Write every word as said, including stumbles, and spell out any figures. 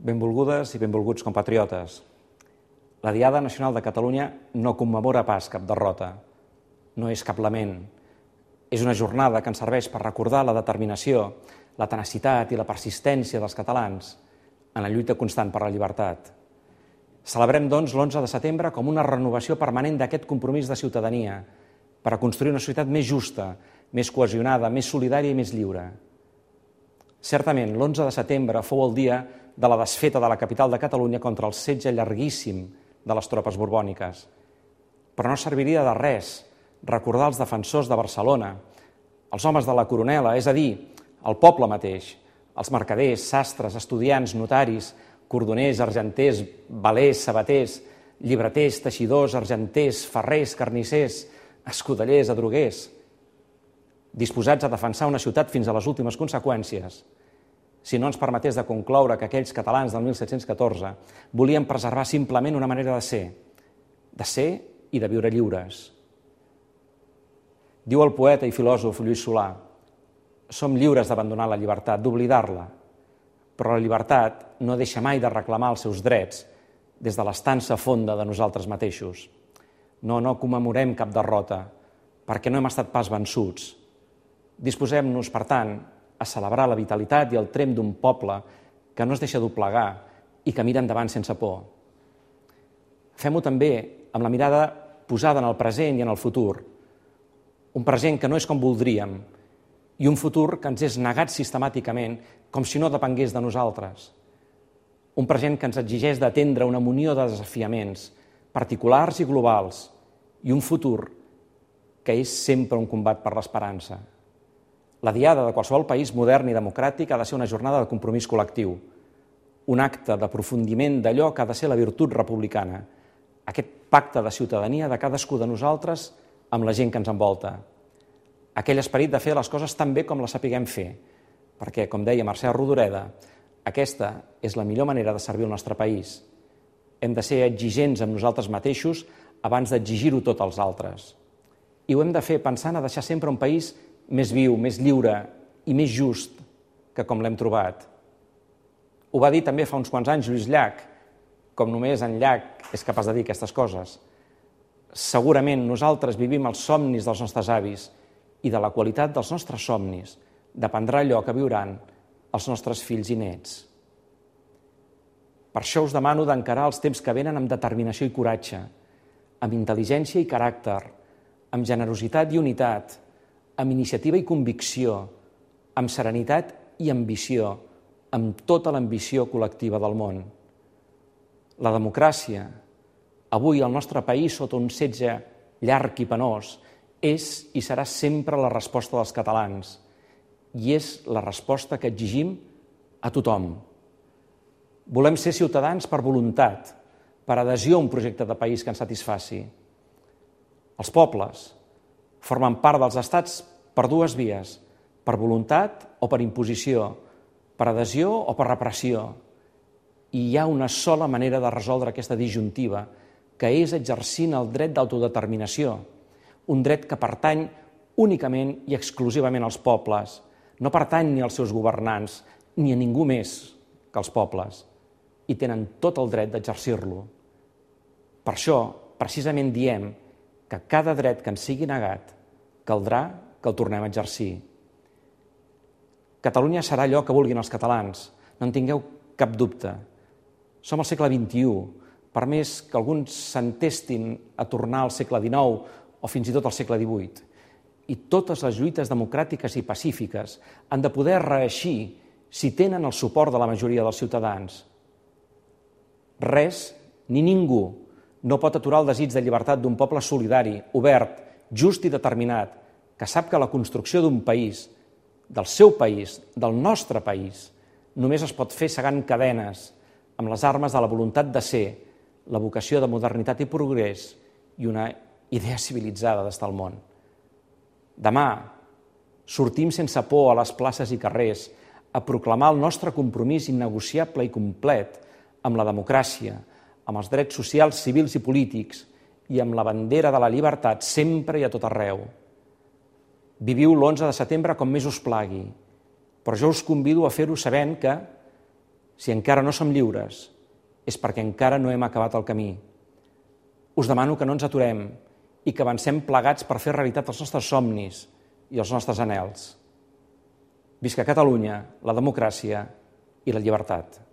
Benvolgudes i benvolguts compatriotes. La Diada Nacional de Catalunya no commemora pas cap derrota, no és cap lament. És una jornada que ens serveix per recordar la determinació, la tenacitat i la persistència dels catalans en la lluita constant per la llibertat. Celebrem, doncs, l'onze de setembre com una renovació permanent d'aquest compromís de ciutadania per a construir una societat més justa, més cohesionada, més solidària i més lliure. Certament, l'onze de setembre fou el dia de la desfeta de la capital de Catalunya contra el setge llarguíssim de les tropes borbòniques. Però no serviria de res recordar els defensors de Barcelona, els homes de la Coronela, és a dir, el poble mateix, els mercaders, sastres, estudiants, notaris, cordoners, argenters, velers, sabaters, llibreters, teixidors, argenters, ferrers, carnissers, escudellers, adroguers, disposats a defensar una ciutat fins a les últimes conseqüències, si no ens permetés de concloure que aquells catalans del mil set-cents catorze volien preservar simplement una manera de ser, de ser i de viure lliures. Diu el poeta i filòsof Lluís Solà: som lliures d'abandonar la llibertat, d'oblidar-la, però la llibertat no deixa mai de reclamar els seus drets des de l'estança fonda de nosaltres mateixos. No, no commemorem cap derrota, perquè no hem estat pas vençuts. Disposem-nos, per tant, a celebrar la vitalitat i el tremp d'un poble que no es deixa doblegar i que mira endavant sense por. Fem-ho també amb la mirada posada en el present i en el futur. Un present que no és com voldríem i un futur que ens és negat sistemàticament com si no depengués de nosaltres. Un present que ens exigeix d'atendre una munió de desafiaments particulars i globals i un futur que és sempre un combat per l'esperança. La Diada de qualsevol país modern i democràtic ha de ser una jornada de compromís col·lectiu, un acte d'aprofundiment d'allò que ha de ser la virtut republicana, aquest pacte de ciutadania de cadascú de nosaltres amb la gent que ens envolta. Aquell esperit de fer les coses tan bé com les sapiguem fer, perquè, com deia Mercè Rodoreda, aquesta és la millor manera de servir el nostre país. Hem de ser exigents amb nosaltres mateixos abans d'exigir-ho tot als altres. I ho hem de fer pensant a deixar sempre un país més viu, més lliure i més just que com l'hem trobat. Ho va dir també fa uns quants anys Lluís Llach, com només en Llach és capaç de dir aquestes coses. Segurament nosaltres vivim els somnis dels nostres avis i de la qualitat dels nostres somnis dependrà allò que viuran els nostres fills i nets. Per això us demano d'encarar els temps que venen amb determinació i coratge, amb intel·ligència i caràcter, amb generositat i unitat, amb iniciativa i convicció, amb serenitat i ambició, amb tota l'ambició col·lectiva del món. La democràcia, avui al nostre país sota un setge llarg i penós, és i serà sempre la resposta dels catalans i és la resposta que exigim a tothom. Volem ser ciutadans per voluntat, per adhesió a un projecte de país que ens satisfaci. Els pobles formen part dels estats per dues vies, per voluntat o per imposició, per adhesió o per repressió. I hi ha una sola manera de resoldre aquesta disjuntiva, que és exercint el dret d'autodeterminació, un dret que pertany únicament i exclusivament als pobles, no pertany ni als seus governants, ni a ningú més que als pobles, i tenen tot el dret d'exercir-lo. Per això, precisament diem que cada dret que ens sigui negat caldrà que el tornem a exercir. Catalunya serà allò que vulguin els catalans, no en tingueu cap dubte. Som al segle vint-i-u, per més que alguns s'entestin a tornar al segle dinou o fins i tot al segle divuit. I totes les lluites democràtiques i pacífiques han de poder reeixir si tenen el suport de la majoria dels ciutadans. Res, ni ningú, no pot aturar el desig de llibertat d'un poble solidari, obert, just i determinat, que sap que la construcció d'un país, del seu país, del nostre país, només es pot fer segant cadenes, amb les armes de la voluntat de ser, la vocació de modernitat i progrés i una idea civilitzada d'estar al món. Demà sortim sense por a les places i carrers, a proclamar el nostre compromís innegociable i complet amb la democràcia, amb els drets socials, civils i polítics i amb la bandera de la llibertat sempre i a tot arreu. Viviu l'onze de setembre com més us plagui, però jo us convido a fer-ho sabent que, si encara no som lliures, és perquè encara no hem acabat el camí. Us demano que no ens aturem i que avancem plegats per fer realitat els nostres somnis i els nostres anhels. Visca Catalunya, la democràcia i la llibertat.